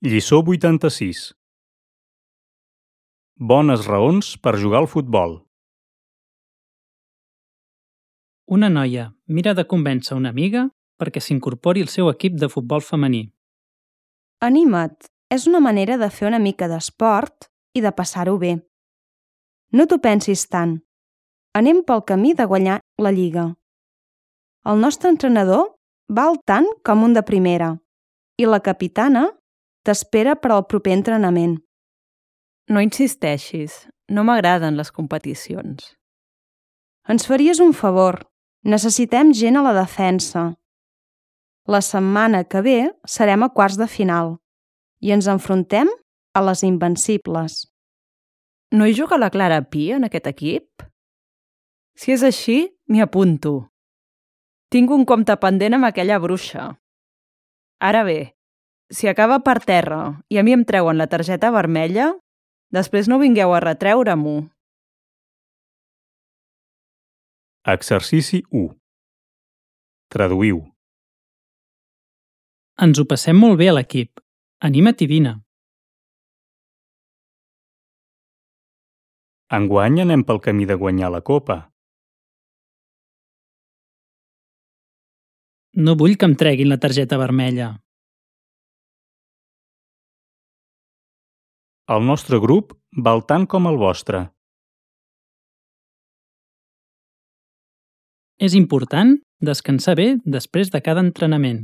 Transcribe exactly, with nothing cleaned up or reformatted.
Lliçó vuitanta-sis. Bones raons per jugar al futbol. Una noia mira de convèncer una amiga perquè s'incorpori al seu equip de futbol femení. Anima't, és una manera de fer una mica d'esport i de passar-ho bé. No t'ho pensis tant. Anem pel camí de guanyar la lliga. El nostre entrenador val tant com un de primera i la capitana t'espera per al proper entrenament. No insisteixis, no m'agraden les competicions. Ens faries un favor. Necessitem gent a la defensa. La setmana que ve serem a quarts de final i ens enfrontem a les invencibles. No hi juga la Clara Pi en aquest equip? Si és així, m'hi apunto. Tinc un compte pendent amb aquella bruixa. Ara bé, si acaba per terra i a mi em treuen la targeta vermella, després no vingueu a retreure-m'ho. Exercici u. Traduïu. Ens ho passem molt bé a l'equip. Anima't i vine. Enguany anem pel camí de guanyar la copa. No vull que em treguin la targeta vermella. El nostre grup val tant com el vostre. És important descansar bé després de cada entrenament.